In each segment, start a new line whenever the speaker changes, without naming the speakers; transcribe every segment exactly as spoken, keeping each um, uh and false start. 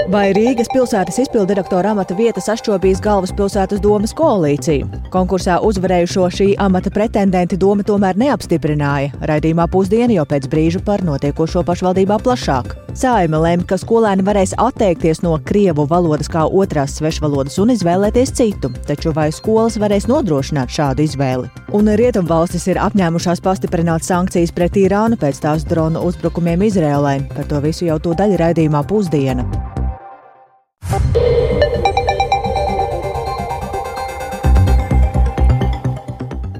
Vai Rīgas pilsētas izpilddirektora amata vieta sašķobīs galvaspilsētas domes koalīciju? Konkursā uzvarējušo šī amata pretendenti doma tomēr neapstiprināja. Raidījumā Pusdiena jau pēc brīža par notiekošo pašvaldībā plašāk. Saeima lēma, ka skolēni varēs atteikties no krievu valodas kā otrās svešvalodas un izvēlēties citu, taču vai skolas varēs nodrošināt šādu izvēli? Un rietumvalstis ir apņēmušās pastiprināt sankcijas pret Irānu pēc tās dronu uzbrukumiem Izrēlai. Par to visu jau tūdaļ raidījumā Pusdiena.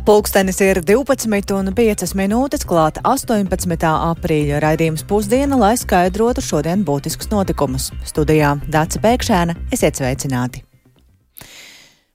Pulkstenis ir divpadsmit un piecas minūtes, klāt astoņpadsmitā aprīļa raidījums Pusdiena, lai skaidrotu šodien būtiskus notikumus. Studijā Dace Pēkšēna, esiet sveicināti!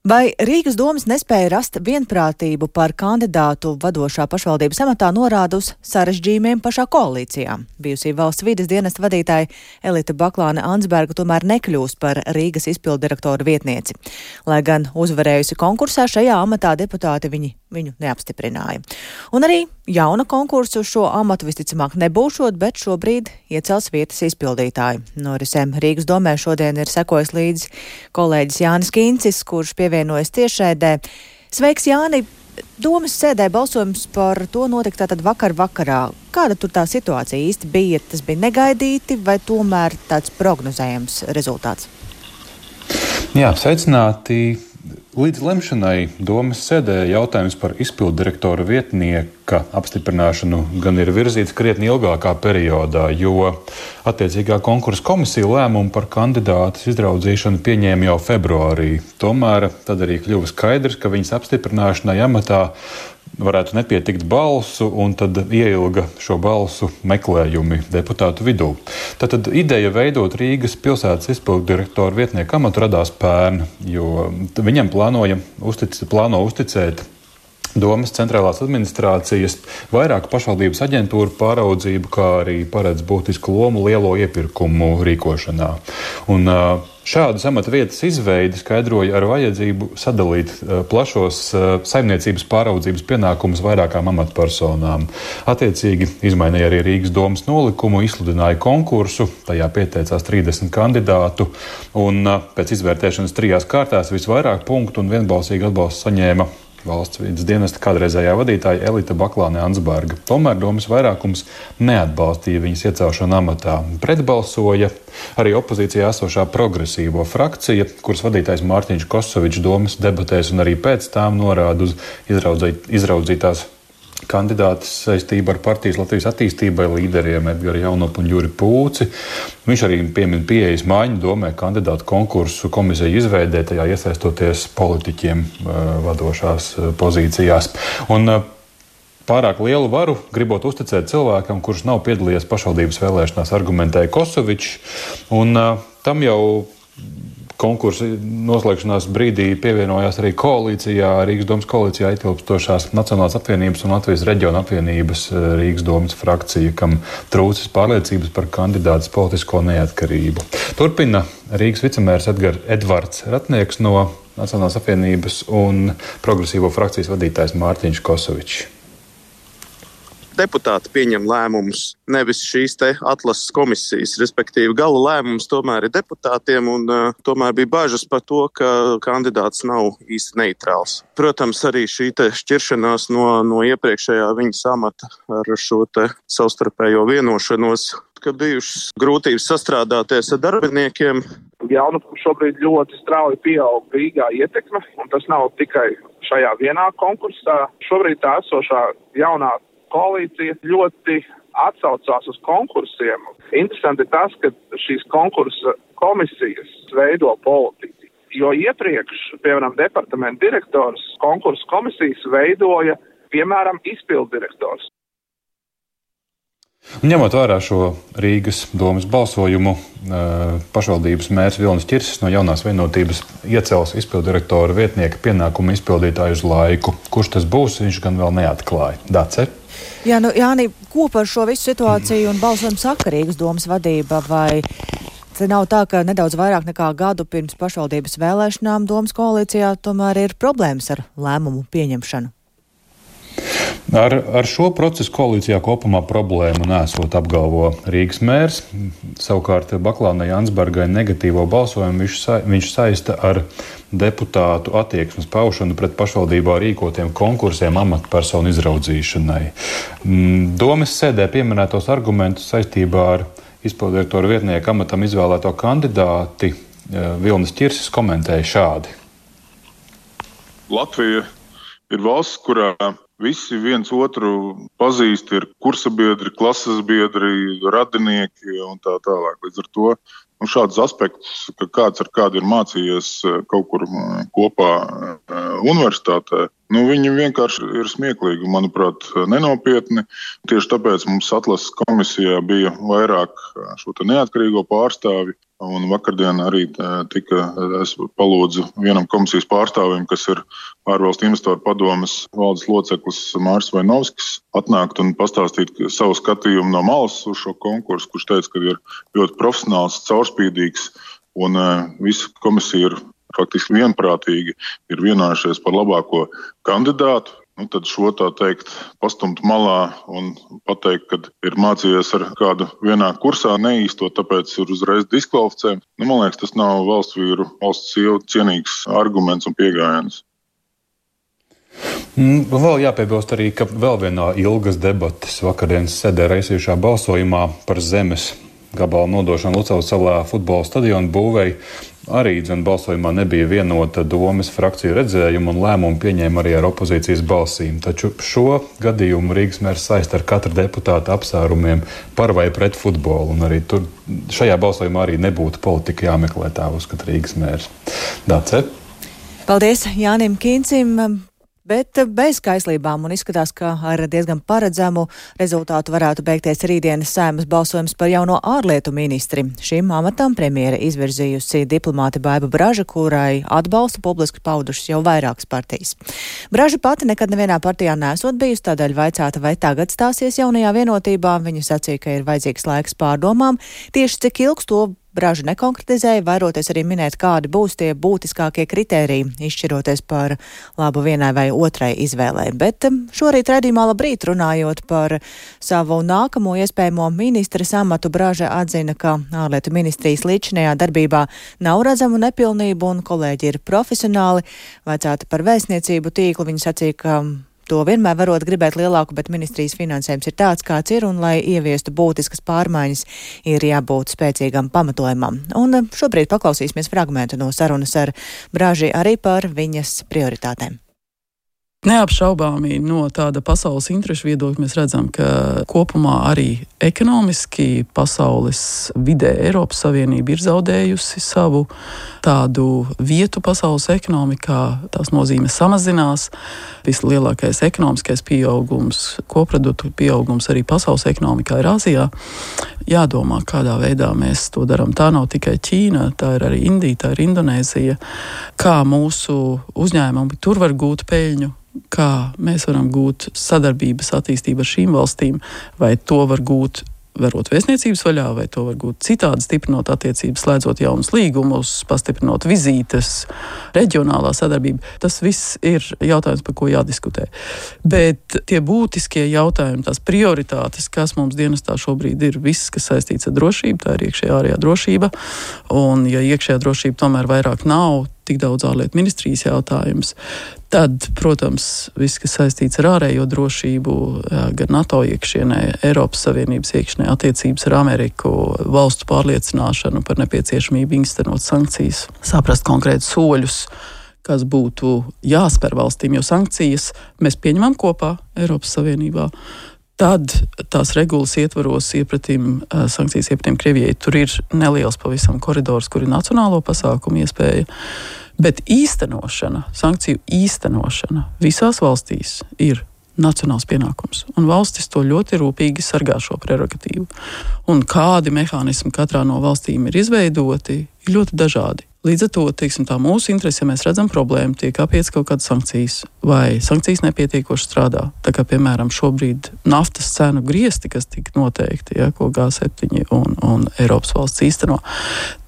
Vai Rīgas domas nespēja rast vienprātību par kandidātu vadošā pašvaldības amatā norāda uz sarežģījumiem pašā koalīcijā? Bijusī valsts vides dienesta vadītāja Elita Baklāne-Ansberga tomēr nekļūst par Rīgas izpilddirektora vietnieci. Lai gan uzvarējusi konkursā, šajā amatā deputāti viņi, viņu neapstiprināja. Un arī jauna konkursa uz šo amatu visticamāk nebūšot, bet šobrīd iecels vietas izpildītāju. Norisēm Rīgas domē šodien ir sekojis līdzi kolēģis Jānis Kīncis, kurš pievienojas tiešraidē. Sveiks, Jāni! Domas sēdē balsojums par to notika tātad vakar vakarā. Kāda tur tā situācija īsti bija? Tas bija negaidīti vai tomēr tāds prognozējams rezultāts?
Jā, sveicināti! Līdz lemšanai domas sēdē jautājums par izpilddirektora vietnieka apstiprināšanu gan ir virzīts krietni ilgākā periodā, jo attiecīgā konkursa komisija lēmumu par kandidātas izraudzīšanu pieņēma jau februārī. Tomēr tad arī kļuva skaidrs, ka viņas apstiprināšanai amatā varētu nepietikt balsu, un tad ieilga šo balsu meklējumi deputātu vidū. Tātad ideja veidot Rīgas pilsētas izpilddirektora vietnieku amatu radās pērn, jo viņam plānoja uztic, plāno uzticēt domas centrālās administrācijas vairāku pašvaldības aģentūru pāraudzību, kā arī paredz būtisku lomu lielo iepirkumu rīkošanā. Un šādas amata vietas izveidi skaidroja ar vajadzību sadalīt plašos saimniecības pāraudzības pienākumus vairākām amatpersonām. Attiecīgi izmainīja arī Rīgas domas nolikumu, izsludināja konkursu, tajā pieteicās trīsdesmit kandidātu, un pēc izvērtēšanas trijās kārtās visvairāk punktu un vienbalsīgi atbalstu saņēma valsts vides dienesta kādreizējā vadītāja Elita Baklāne-Ansberga. Tomēr domas vairākums neatbalstīja viņas iecelšanu amatā. Pretbalsoja arī opozīcijā esošā progresīvo frakcija, kuras vadītājs Mārtiņš Kosovičs domas debatēs un arī pēc tām norāda uz izraudzīt, izraudzītās kandidātas saistību ar partijas Latvijas attīstībai līderiem Edgari Jaunopu un Juri Pūci. Viņš arī piemin pieejas maiņu domē kandidātu konkursu komisiju izveidē, tajā iesaistoties politiķiem vadošās pozīcijās. Un pārāk lielu varu gribot uzticēt cilvēkam, kurš nav piedalījies pašvaldības vēlēšanās, argumentēja Kosovičs, un tam jau konkursa noslēgšanās brīdī pievienojās arī koalīcijā, Rīgas domas koalīcijā ietilpstošās Nacionālās apvienības un Latvijas reģiona apvienības Rīgas domas frakcija, kam trūcis pārliecības par kandidātas politisko neatkarību. Turpina Rīgas vicemērs Edgar, Edvards Ratnieks no Nacionālās apvienības un progresīvo frakcijas vadītājs Mārtiņš Kosovičs.
Deputāti pieņem lēmumus, nevis šīs te atlases komisijas, respektīvi gala lēmums tomēr ir deputātiem, un uh, tomēr bija bažas par to, ka kandidāts nav īsti neitrāls. Protams, arī šī te šķiršanās no, no iepriekšējā viņas amata ar šo te savstarpējo vienošanos, ka bijušas grūtības sastrādāties ar darbiniekiem.
Jaunupu šobrīd ļoti strauji pieaug Rīgā ietekme, un tas nav tikai šajā vienā konkursā. Šobrīd tā esošā jaunā koalīcija ļoti atsaucās uz konkursiem. Interesanti ir tas, ka šīs konkursa komisijas veido politiķi. Jo iepriekš, piemēram, departamenta direktors konkursa komisijas veidoja, piemēram, izpilddirektors.
Ņemot vērā šo Rīgas domas balsojumu, pašvaldības mērs Vilnis Ķirsis no Jaunās vienotības iecels izpilddirektora vietnieka pienākumu izpildītāju uz laiku. Kurš tas būs, viņš gan vēl neatklāja. Dace?
Jā, nu, Jāni, ko par šo visu situāciju un balsojumu saka Rīgas domas vadība, vai te nav tā, ka nedaudz vairāk nekā gadu pirms pašvaldības vēlēšanām domas koalīcijā tomēr ir problēmas ar lēmumu pieņemšanu?
Ar, ar šo procesu koalīcijā kopumā problēmu nesot, apgalvo Rīgas mērs. Savukārt Baklānai Jansbergai negatīvo balsojumu viņš, sa, viņš saista ar deputātu attieksmes paušanu pret pašvaldībā rīkotiem konkursiem amatpersonu izraudzīšanai. Domes sēdē pieminētos argumentus saistībā ar izpildirektora vietnieka amatam izvēlēto kandidāti Vilnis Ķirsis komentēja šādi.
Latvija ir valsts, kurā visi viens otru pazīst, ir kursabiedri, klases biedri, radinieki un tā tālāk. Līdz ar to nu, šādus aspektus, ka kāds ar kādu ir mācījies kaut kur kopā universitātē, nu, viņi vienkārši ir smieklīgi, manuprāt, nenopietni. Tieši tāpēc mums atlases komisijā bija vairāk šo te neatkarīgo pārstāvi. Un vakardien arī tika, es palūdzu vienam komisijas pārstāvim, kas ir ārvalstu investoru padomes valdes loceklis Māris Vainovskis, atnākt un pastāstīt savu skatījumu no malas uz šo konkursu, kurš teica, ka ir ļoti profesionāls, caurspīdīgs, un visa komisija ir faktiski vienprātīgi, ir vienojušies par labāko kandidātu. Nu, tad šo tā teikt pastumt malā un pateikt, ka ir mācījies ar kādu vienā kursā neīstot, tāpēc ir uzreiz diskvalificējums. Nu, man liekas, tas nav valsts vīru, valsts sievu cienīgs arguments un pieejams.
Vēl jāpiebilst arī, ka vēl vienā ilgas debates vakardienas sēdē raisījušā balsojumā par zemes gabalu nodošanu Lucavas salā futbola stadionu būvēi arī dzen balsojumā nebija vienota domes frakciju redzējuma un lēmumu pieņēma arī ar opozīcijas balsīm. Taču šo gadījumu Rīgas mērs saista ar katra deputāta apsvērumiem par vai pret futbolu. Un arī tur šajā balsojumā arī nebūtu politika jāmeklē, tā uzskata Rīgas mērs. Dace?
Paldies Jānim Kīncim. Bet bez kaislībām un izskatās, ka ar diezgan paredzamu rezultātu varētu beigties rītdienas Saeimas balsojums par jauno ārlietu ministri. Šim amatam premjere izvirzījusi diplomāti Baiba Braža, kurai atbalstu publiski paudušas jau vairākas partijas. Braža pati nekad nevienā partijā nesot bijusi, tādēļ vaicāta, vai tagad stāsies jaunajā vienotībā. Viņa sacīja, ka ir vajadzīgs laiks pārdomām. Tieši cik ilgs to Braža nekonkretizēja, vairoties arī minēt, kādi būs tie būtiskākie kritēriji, izšķiroties par labu vienai vai otrai izvēlē. Bet šorīt raidījumā Labrīt runājot par savu nākamo iespējamo ministres amatu, Braža atzina, ka ārlietu ministrijas līdzinējā darbībā nav redzamu nepilnību un kolēģi ir profesionāli. Vaicāta par vēstniecību tīklu, viņa sacīja, ka to vienmēr varot gribēt lielāku, bet ministrijas finansējums ir tāds, kāds ir, un, lai ieviestu būtiskas pārmaiņas, ir jābūt spēcīgam pamatojumam. Un šobrīd paklausīsimies fragmentu no sarunas ar Braži arī par viņas prioritātēm.
Neapšaubāmi no tāda pasaules interešu viedokļa mēs redzam, ka kopumā arī ekonomiski pasaules vidē Eiropas Savienība ir zaudējusi savu tādu vietu pasaules ekonomikā. Tās nozīme samazinās. Vislielākais ekonomiskais pieaugums, koproduktu pieaugums arī pasaules ekonomikā ir Āzijā. Jādomā, kādā veidā mēs to darām. Tā nav tikai Ķīna, tā ir arī Indija, tā ir Indonēzija. Kā mūsu uzņēmumi tur var gūt peļņu, kā mēs varam gūt sadarbības attīstību ar šīm valstīm, vai to var gūt verot vēstniecības vaļā, vai to var gūt citādi, stiprinot attiecības, slēdzot jaunus līgumus, pastiprinot vizītes, reģionālā sadarbība. Tas viss ir jautājums, par ko jādiskutē. Bet tie būtiskie jautājumi, tās prioritātes, kas mums dienestā šobrīd ir, viss, kas saistīts ar drošību, tā ir iekšējā ārējā drošība. Un ja iekšējā drošība tomēr vairāk nav tik daudz ārlietu ministrijas jautājums, tad, protams, viss, kas saistīts ar ārējo drošību, gan NATO iekšienē, Eiropas Savienības iekšienē, attiecības ar Ameriku, valstu pārliecināšanu par nepieciešamību īstenot sankcijas, saprast konkrētus soļus, kas būtu jāspēr valstīm, jo sankcijas mēs pieņemam kopā Eiropas Savienībā. Tad tās regulas ietvaros iepratīm, sankcijas iepratīm Krievijai. Tur ir neliels pavisam koridors, kur ir nacionālo pasākumu iespēja. Bet īstenošana, sankciju īstenošana visās valstīs ir nacionāls pienākums. Un valstis to ļoti rūpīgi sargā šo prerogatīvu. Un kādi mehānismi katrā no valstīm ir izveidoti, ir ļoti dažādi. Līdz ar to, teiksim, tā mūsu interese, ja mēs redzam problēmu, tiek apiets kaut kādas sankcijas, vai sankcijas nepietiekoši strādā. Tā kā, piemēram, šobrīd naftas cenu griesti, kas tika noteikti, ja, ko G septiņi un, un Eiropas valsts īsteno,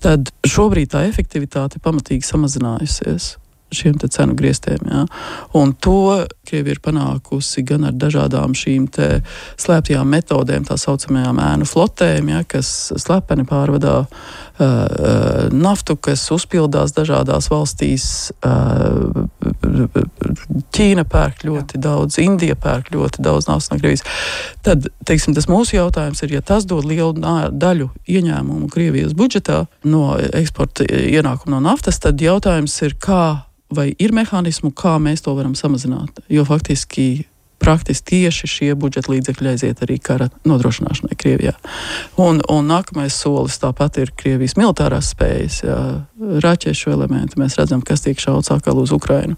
tad šobrīd tā efektivitāte pamatīgi samazinājusies. šiem te cenu griestiem. Ja. Un to Krievija ir panākusi gan ar dažādām šīm te slēptajām metodēm, tā saucamajām ēnu flotēm, ja, kas slepeni pārvadā uh, uh, naftu, kas uzpildās dažādās valstīs. Uh, Ķīna pērk ļoti daudz, Indija pērk ļoti daudz naftas no Krievijas. Tad, teiksim, tas mūsu jautājums ir, ja tas dod lielu daļu ieņēmumu Krievijas budžetā no eksporta ienākumu no naftas, tad jautājums ir, kā vai ir mehānismu, kā mēs to varam samazināt. Jo faktiski praktiski tieši šie budžeta līdzekļi aiziet arī kara nodrošināšanai Krievijā. Un, un nākamais solis tāpat ir Krievijas militārās spējas, jā, raķešu elementi. Mēs redzam, kas tiek šauts atkal uz Ukrainu.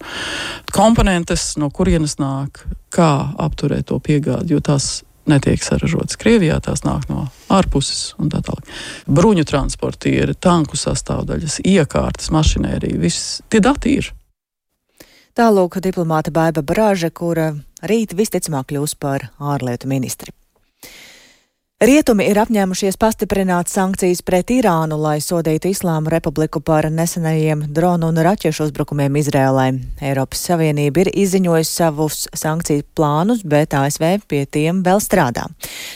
Komponentes, no kurienes nāk, kā apturēt to piegādi, jo tās netiek saražotas Krievijā, tās nāk no ārpuses un tā tālāk. Bruņu transportieri, tanku sastāvdaļas, iekārtas, mašinērija, viss tie dati ir.
Tālūk diplomāte Baiba Brāža, kura rīt visticamāk kļūs par ārlietu ministri. Rietumi ir apņēmušies pastiprināt sankcijas pret Irānu, lai sodītu Islāma Republiku par nesenajiem dronu un raķešu uzbrukumiem Izrēlai. Eiropas Savienība ir izziņojusi savus sankciju plānus, bet A S V pie tiem vēl strādā.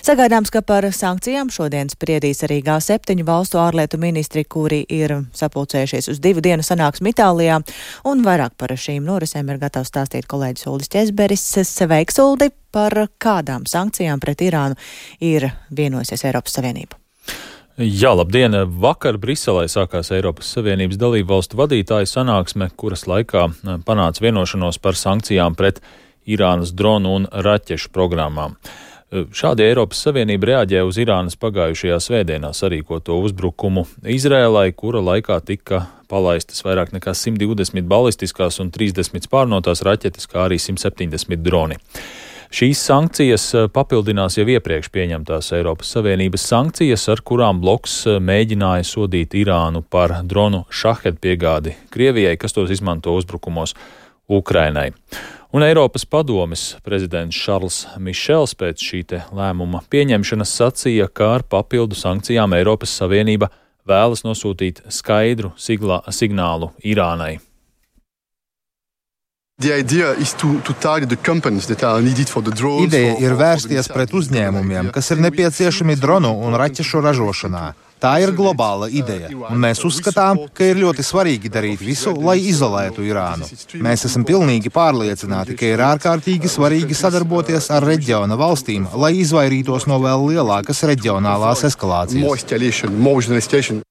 Sagaidāms, ka par sankcijām šodien spriedīs arī G septiņu valstu ārlietu ministri, kuri ir sapulcējušies uz divu dienu sanāksmi Itālijā, un vairāk par šīm norisēm ir gatavs stāstīt kolēģis Uldis Ķezberis. Sveiks, Uldi! Par kādām sankcijām pret Irānu ir vienojusies Eiropas Savienība?
Jā, labdien! Vakar Briselē sākās Eiropas Savienības dalību valstu vadītāju sanāksme, kuras laikā panāca vienošanos par sankcijām pret Irānas dronu un raķešu programmām. Šādi Eiropas Savienība reaģē uz Irānas pagājušajā svētdienā sarīkoto uzbrukumu Izrēlai, kura laikā tika palaistas vairāk nekā simt divdesmit balistiskās un trīsdesmit spārnotās raķetes, kā arī simt septiņdesmit droni. Šīs sankcijas papildinās jau iepriekš pieņemtās Eiropas Savienības sankcijas, ar kurām bloks mēģināja sodīt Irānu par dronu šahed piegādi Krievijai, kas tos izmanto uzbrukumos Ukrainai. Un Eiropas padomes prezidents Šarls Mišels pēc šī te lēmuma pieņemšanas sacīja, ka ar papildu sankcijām Eiropas Savienība vēlas nosūtīt skaidru siglā, signālu Irānai.
Ideja ir vērsties pret uzņēmumiem, kas ir nepieciešami dronu un raķešu ražošanā. Tā ir globāla ideja, un mēs uzskatām, ka ir ļoti svarīgi darīt visu, lai izolētu Irānu. Mēs esam pilnīgi pārliecināti, ka ir ārkārtīgi svarīgi sadarboties ar reģiona valstīm, lai izvairītos no vēl lielākas reģionālās eskalācijas.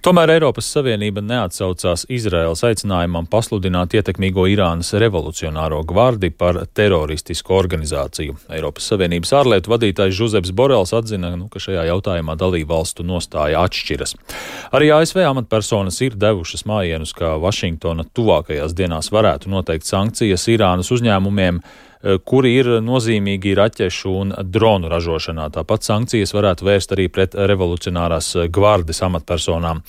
Tomēr Eiropas Savienība neatsaucās Izraēlas aicinājumam pasludināt ietekmīgo Irānas revolucionāro gvardi par teroristisku organizāciju. Eiropas Savienības ārlietu vadītājs Žuzeps Borels atzina, nu, ka šajā jautājumā dalību valstu nostāja atšķiras. Arī A S V amatpersonas ir devušas mājienus, ka Vašingtona tuvākajās dienās varētu noteikt sankcijas Irānas uzņēmumiem, kuri ir nozīmīgi raķešu un dronu ražošanā. Tāpat sankcijas varētu vērst arī pret revolucionārās gvardes amatpersonām.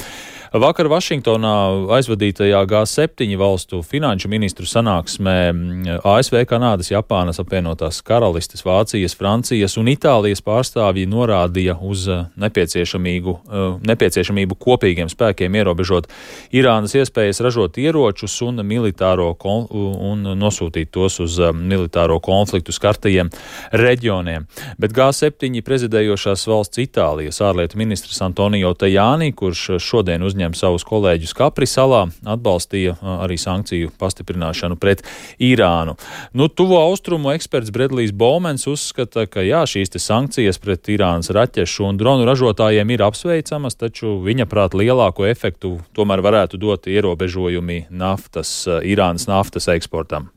Vakar Vašingtonā aizvadītajā G septiņu valstu finanšu ministru sanāksmē A S V, Kanādas, Japānas, apvienotās karalistes, Vācijas, Francijas un Itālijas pārstāvji norādīja uz nepieciešamību, nepieciešamību kopīgiem spēkiem ierobežot Irānas iespējas ražot ieročus un, militāro, un nosūtīt tos uz militāro konfliktu skartajiem reģioniem. Bet G septiņu prezidējošās valsts Itālijas ārlietu ministrs Antonio Tajani, kurš šodien uzņem savus kolēģus Kapri salā, atbalstīja arī sankciju pastiprināšanu pret Irānu. Nu, tuvo austrumu eksperts Bredlijs Bowmans uzskata, ka jā, šīs te sankcijas pret Irānas raķešu un dronu ražotājiem ir apsveicamas, taču viņa prāt lielāko efektu tomēr varētu dot ierobežojumi naftas, Irānas naftas eksportam.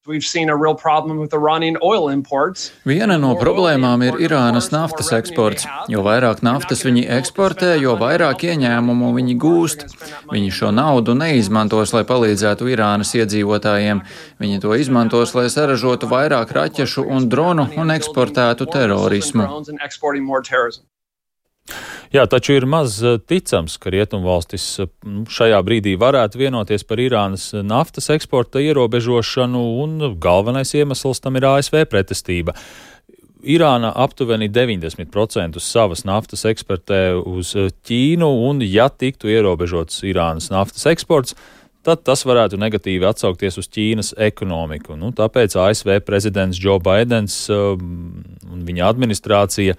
Viena no problēmām ir Irānas naftas eksports. Jo vairāk naftas viņi eksportē, jo vairāk ieņēmumu viņi gūst. Viņi šo naudu neizmantos, lai palīdzētu Irānas iedzīvotājiem. Viņi to izmantos, lai saražotu vairāk raķešu un dronu un eksportētu terorismu.
Jā, taču ir maz ticams, ka rietumvalstis šajā brīdī varētu vienoties par Irānas naftas eksporta ierobežošanu, un galvenais iemesls tam ir A S V pretestība.
Irāna aptuveni deviņdesmit procentus savas naftas eksportē uz Ķīnu, un ja tiktu ierobežots Irānas naftas eksports, tad tas varētu negatīvi atsaukties uz Ķīnas ekonomiku. Nu, tāpēc A S V prezidents Joe Baidens un viņa administrācija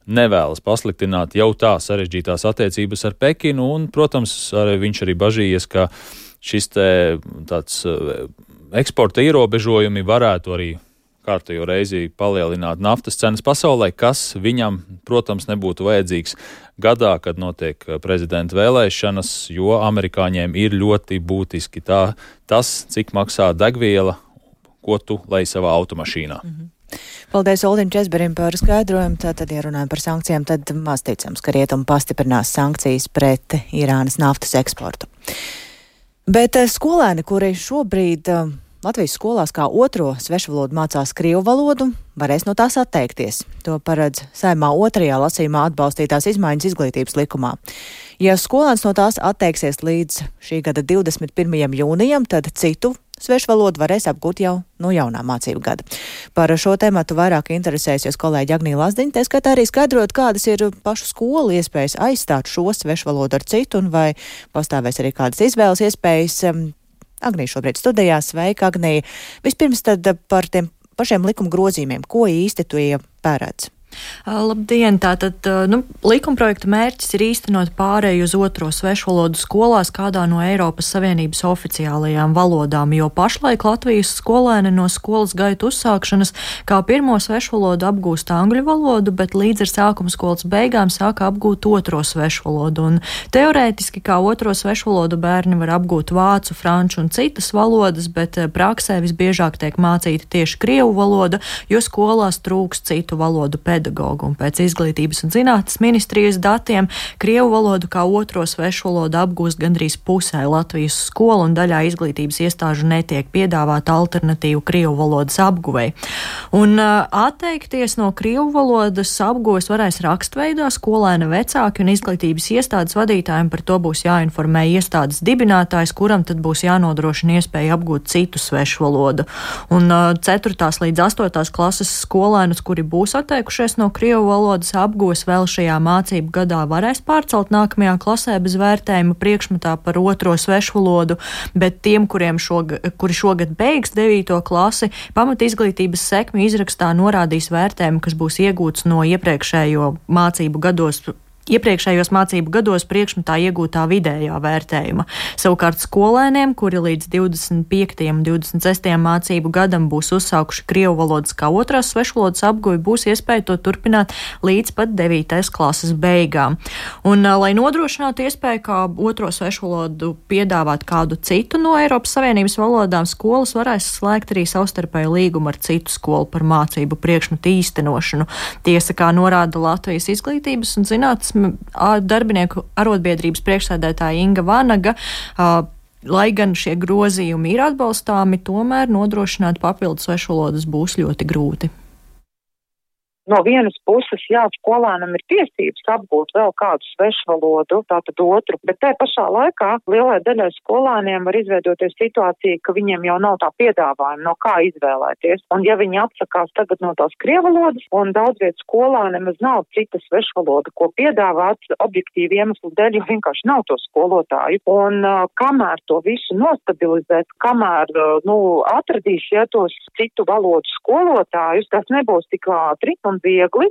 nevēlas pasliktināt jau tā sarežģītās attiecības ar Pekinu, un, protams, arī viņš arī bažījies, ka šis te tāds eksporta ierobežojumi varētu arī kārtējo reizi palielināt naftas cenas pasaulē, kas viņam, protams, nebūtu vajadzīgs gadā, kad notiek prezidenta vēlēšanas, jo amerikāņiem ir ļoti būtiski tā, tas, cik maksā degviela, ko tu lej savā automašīnā.
Mm-hmm. Paldies Uldim Česberim par skaidrojumu. Tātad, ja runājam par sankcijām, tad maz ticams, ka rietumi pastiprinās sankcijas pret Irānas naftas eksportu. Bet skolēni, kuri šobrīd Latvijas skolās kā otro svešvalodu mācās krievu valodu, varēs no tās atteikties. To paredz Saeimā otrajā lasījumā atbalstītās izmaiņas izglītības likumā. Ja skolēns no tās atteiksies līdz šī gada divdesmit pirmajam jūnijam, tad citu svešvalodu varēs apgūt jau no jaunā mācību gada. Par šo tematu vairāk interesēsies kolēģi Agnija Lazdiņa, tā skaitā arī skaidrot, kādas ir pašu skolu iespējas aizstāt šo svešvalodu ar citu, un vai pastāvēs arī kādas izvēles iespējas. Agnija šobrīd studijā. Sveika, Agnija. Vispirms tad par tiem pašiem likuma grozījumiem. Ko īsti tu iepērēdz?
Labdien! Tātad, nu, likumprojekta mērķis ir īstenot pārēju uz otro svešvalodu skolās kādā no Eiropas Savienības oficiālajām valodām, jo pašlaik Latvijas skolēni no skolas gaitu uzsākšanas kā pirmo svešvalodu apgūst angļu valodu, bet līdz ar sākuma skolas beigām sāka apgūt otro svešvalodu. Un teorētiski kā otro svešvalodu bērni var apgūt vācu, franču un citas valodas, bet praksē visbiežāk tiek mācīta tieši krievu valoda, jo skolās trūks citu valodu pedagogu. Un pēc Izglītības un zinātnes ministrijas datiem krievu valodu kā otro svešvalodu apgūst gandrīz pusē Latvijas skolu, un daļā izglītības iestāžu netiek piedāvāta alternatīvu krievu valodas apguvei. Un uh, atteikties no krievu valodas apguves varēs rakstveidā skolēna vecāki, un izglītības iestādes vadītājiem par to būs jāinformē iestādes dibinātājs, kuram tad būs jānodrošina iespēja apgūt citu svešvalodu. Un uh, ceturtās līdz astotās klases skolēnus, kuri būs atteikušies no krievu valodas apgūves, vēl šajā mācību gadā varēs pārcelt nākamajā klasē bez vērtējuma priekšmetā par otro svešvalodu, bet tiem, kuriem šogad, kuri šogad beigs devīto klasi, pamat izglītības sekmi izrakstā norādīs vērtējumu, kas būs iegūts no iepriekšējo mācību gados Iepriekšējos mācību gados priekšmetā iegūtā vidējā vērtējuma. Savukārt skolēniem, kuri līdz divdesmit piektajam un divdesmit sestajam mācību gadam būs uzsākuši krievu valodas kā otrās svešvalodas apguvi, būs iespēja to turpināt līdz pat devītais klases beigām. Un, lai nodrošinātu iespēju kā otro svešvalodu piedāvāt kādu citu no Eiropas Savienības valodām, skolas varēs slēgt arī savstarpēju līgumu ar citu skolu par mācību priekšmetu īstenošanu. Tiesa, kā norāda Latvijas Izglītības un zinātnes darbinieku arotbiedrības priekšsēdētāja Inga Vanaga, lai gan šie grozījumi ir atbalstāmi, tomēr nodrošināt papildus svešvalodas būs ļoti grūti.
No vienas puses, jā, skolēnam ir tiesības apgūt vēl kādu svešvalodu, tātad otru, bet tajā pašā laikā lielai daļai skolēniem var izveidoties situācija, ka viņiem jau nav tā piedāvājuma, no kā izvēlēties. Un ja viņi atsakās tagad no tās krievvalodas, un daudz vietu skolēniem nav citas svešvaloda, ko piedāvāt objektīvi iemeslu dēļ, jo vienkārši nav to skolotāju. Un uh, kamēr to visu nostabilizēt, kamēr uh, nu, atradīs ja, tos citu valodu skolotājus, tas nebūs tik ātri un viegli.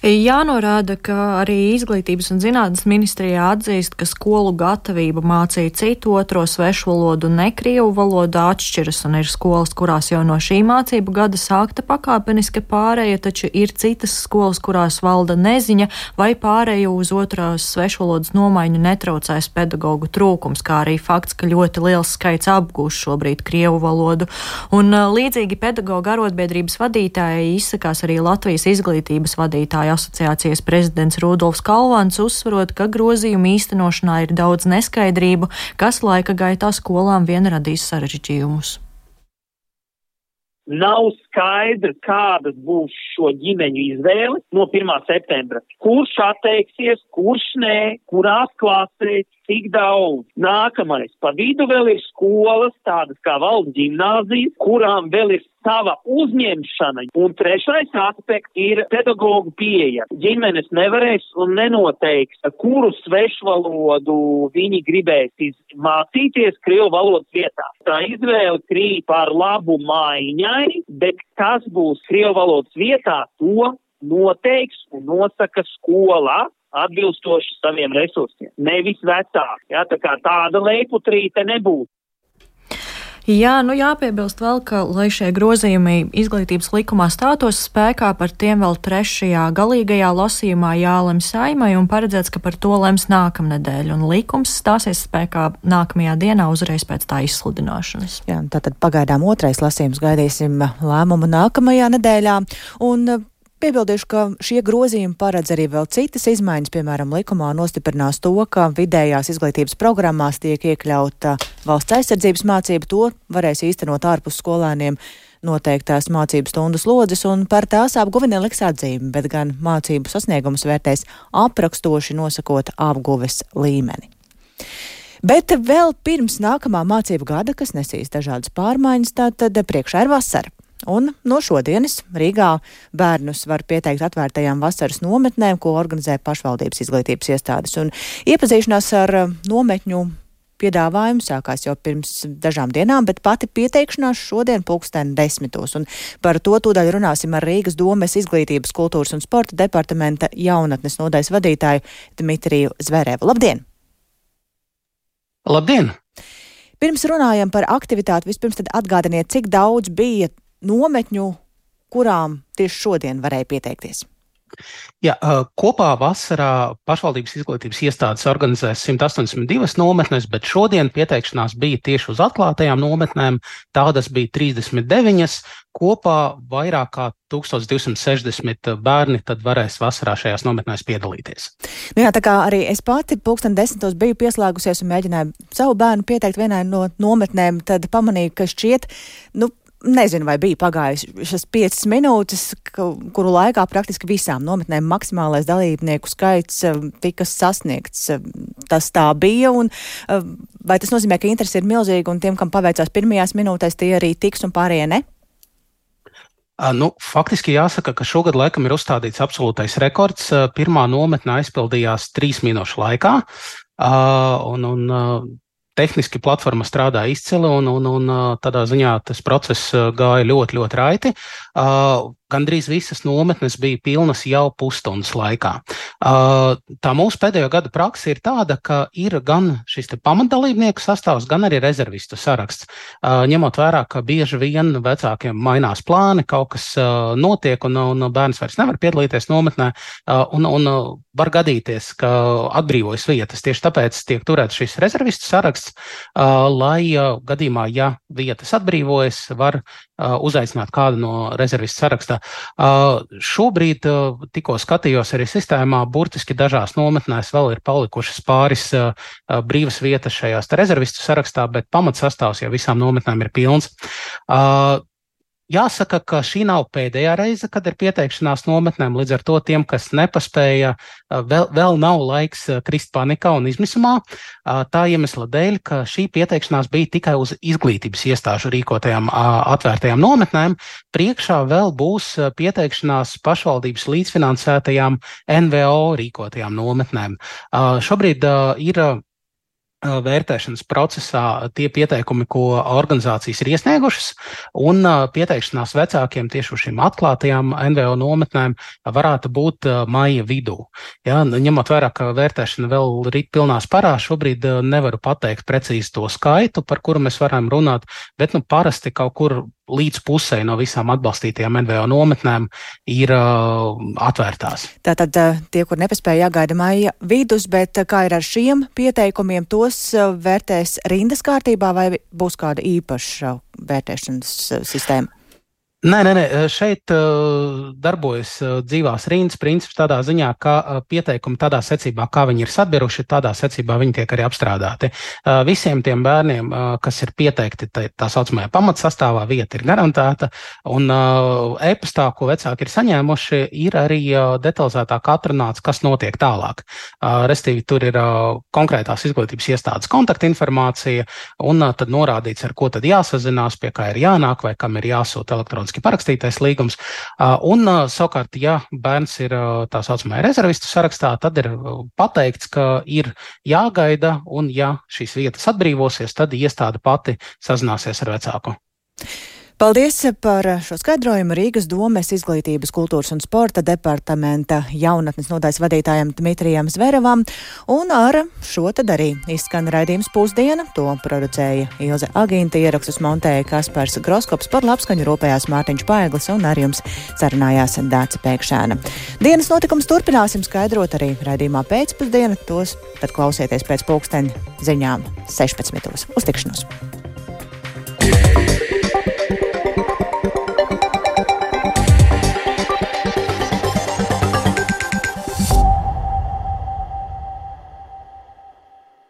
Jānorāda, ka arī Izglītības un zinātnes ministrijā atzīst, ka skolu gatavība mācīt citu otro svešvalodu un ne krievu valodu atšķiras, un ir skolas, kurās jau no šī mācību gada sākta pakāpeniska pāreja, taču ir citas skolas, kurās valda neziņa vai pāreju uz otrās svešvalodas nomaiņu netraucēs pedagogu trūkums, kā arī fakts, ka ļoti liels skaits apgūst šobrīd krievu valodu. Un līdzīgi pedagogu arotbiedrības vadītāji izsakās arī Latvijas Izglītības vadītāja asociācijas prezidents Rudolfs Kalvāns, uzsverot, ka grozījumu īstenošanā ir daudz neskaidrību, kas laika gaitā skolām vien radīs sarežģījumus.
Nav skaidra, kādas būs šo ģimeņu izvēle no pirmā septembra. Kurš atteiksies, kurš nē, kurās klasēs, cik daudz. Nākamais. Pa vidu vēl ir skolas, tādas kā valsts ģimnāzijas, kurām vēl ir sava uzņemšana. Un trešais aspekts ir pedagogu pieeja. Ģimenes nevarēs un nenoteiks, kuru svešvalodu viņi gribēs mācīties krievu valodas vietā. Tā izvēle krīt par labu maiņai, bet kas būs krievu valodas vietā, to noteiks un nosaka skolā atbilstoši saviem resursiem. Nevis vecāki. Jā, tā kā tāda leiputrīte nebūtu.
Jā, nu jāpiebilst vēl, ka, lai šie grozījumi izglītības likumā stātos spēkā, par tiem vēl trešajā galīgajā lasījumā jālem Saeimai un paredzēts, ka par to lems nākamnedēļ, un likums stāsies spēkā nākamajā dienā uzreiz pēc tā izsludināšanas.
Jā, tātad pagaidām otrais lasījums, gaidīsim lēmumu nākamajā nedēļā, un piebildīšu, ka šie grozījumi paredz arī vēl citas izmaiņas, piemēram, likumā nostiprinās to, ka vidējās izglītības programmās tiek iekļauta valsts aizsardzības mācība, to varēs īstenot ārpus skolēniem noteiktās mācību stundu slodzes, un par tās apguvi neliks atzīmi, bet gan mācību sasniegumus vērtēs aprakstoši nosakot apguves līmeni. Bet vēl pirms nākamā mācību gada, kas nesīs dažādas pārmaiņas, tātad priekšā ir vasara. Un no šodienas Rīgā bērnus var pieteikt atvērtajām vasaras nometnēm, ko organizē pašvaldības izglītības iestādes. Un iepazīšanās ar nometņu piedāvājumu sākās jau pirms dažām dienām, bet pati pieteikšanās šodien pulksten desmitos. Un par to tūdaļ runāsim ar Rīgas domes izglītības, kultūras un sporta departamenta jaunatnes nodaļas vadītāju Dmitriju Zverevu. Labdien!
Labdien!
Pirms runājam par aktivitāti, vispirms tad atgādiniet, cik daudz bija nometņu, kurām tieši šodien varēja pieteikties.
Jā, kopā vasarā pašvaldības izglītības iestādes organizēs simt astoņdesmit divas nometnes, bet šodien pieteikšanās bija tieši uz atklātajām nometnēm. Tādas bija trīsdesmit deviņas. Kopā vairāk kā tūkstoš divsimt sešdesmit bērni tad varēs vasarā šajās nometnēs piedalīties.
Nu jā, tā kā arī es pati pulksten desmitos biju pieslēgusies un mēģināju savu bērnu pieteikt vienai no nometnēm, tad pamanīju, ka šķiet, nu, nezinu, vai bija pagājušas piecas minūtes, kuru laikā praktiski visām nometnēm maksimālais dalībnieku skaits tika sasniegts. Tas tā bija, un vai tas nozīmē, ka interesi ir milzīgi, un tiem, kam paveicās pirmajās minūtēs, tie arī tiks un pārējie ne?
Nu, faktiski jāsaka, ka šogad laikam ir uzstādīts absolūtais rekords. Pirmā nometne aizpildījās trīs minūšu laikā, un, un tehniski platforma strādā izcili, un, un, un tādā ziņā tas process gāja ļoti, ļoti raiti. Gandrīz visas nometnes bija pilnas jau pusstundas laikā. Tā mūsu pēdējo gadu praksa ir tāda, ka ir gan šis te pamatdalībnieku sastāvs, gan arī rezervistu saraksts. Ņemot vērā, ka bieži vien vecākiem mainās plāni, kaut kas notiek, un, un bērns vairs nevar piedalīties nometnē, un, un var gadīties, ka atbrīvojas vietas. Tieši tāpēc tiek turēts šis rezervistu saraksts, lai gadījumā, ja vietas atbrīvojas, var uzaicināt kādu no rezervistu sarakstā. Uh, šobrīd uh, tikko skatījos arī sistēmā, burtiski dažās nometnēs vēl ir palikušas pāris uh, brīvas vietas šajās rezervistu sarakstā, bet pamatsastāvs jau visām nometnēm ir pilns. Uh, Jāsaka, ka šī nav pēdējā reize, kad ir pieteikšanās nometnēm, līdz ar to tiem, kas nepaspēja, vēl, vēl nav laiks krist panikā un izmisumā. Tā iemesla dēļ, ka šī pieteikšanās bija tikai uz izglītības iestāžu rīkotajām atvērtajām nometnēm. Priekšā vēl būs pieteikšanās pašvaldības līdzfinansētajām N V O rīkotajām nometnēm. Šobrīd ir vērtēšanas procesā tie pieteikumi, ko organizācijas ir iesniegušas, un pieteikšanās vecākiem tieši uz šīm atklātajām N V O nometnēm varētu būt maija vidū. Ja, ņemot vērā, ka vērtēšana vēl rīt pilnā sparā, šobrīd nevaru pateikt precīzi to skaitu, par kuru mēs varam runāt, bet nu parasti kaut kur līdz pusē no visām atbalstītajām N V O nometnēm ir uh, atvērtās.
Tātad tie, kur nepaspēja, jāgaida maija vidus, bet kā ir ar šiem pieteikumiem, tos vērtēs rindas kārtībā vai būs kāda īpaša vērtēšanas sistēma?
Nē, nē, nē, šeit uh, darbojas uh, dzīvās rindas princips tādā ziņā, ka uh, pieteikumi tādā secībā, kā viņi ir sabiruši, tādā secībā viņi tiek arī apstrādāti. Uh, visiem tiem bērniem, uh, kas ir pieteikti tā, tā saucamajā pamatsastāvā, vieta ir garantēta, un uh, e-pastā, ko vecāki ir saņēmuši, ir arī uh, detalizētāk atrunāts, kas notiek tālāk. Uh, restīvi, tur ir uh, konkrētās izglītības iestādes kontaktinformācija, un uh, tad norādīts, ar ko tad jāsazinās, pie kā ir jānāk, vai kam ir jāsūta elektroniski parakstītais līgums. Un savukārt, ja bērns ir tā saucamajā rezervistu sarakstā, tad ir pateikts, ka ir jāgaida, un ja šīs vietas atbrīvosies, tad iestāde pati sazināsies ar vecāku.
Paldies par šo skaidrojumu Rīgas domes izglītības, kultūras un sporta departamenta jaunatnes nodaļas vadītājam Dmitrijam Zverevam, un ar šo tad arī izskan raidījums Pusdiena. To producēja Ilze Agīnta, ierakstus montēja Kaspars Groskops, par labskaņu rūpējās Mārtiņš Paeglis, un ar jums sarunājās Dāce Pēkšēna. Dienas notikums turpināsim skaidrot arī raidījumā Pēcpusdiena, tos tad klausieties pēc pulksteņa ziņām sešpadsmitos. Uz tikšanos!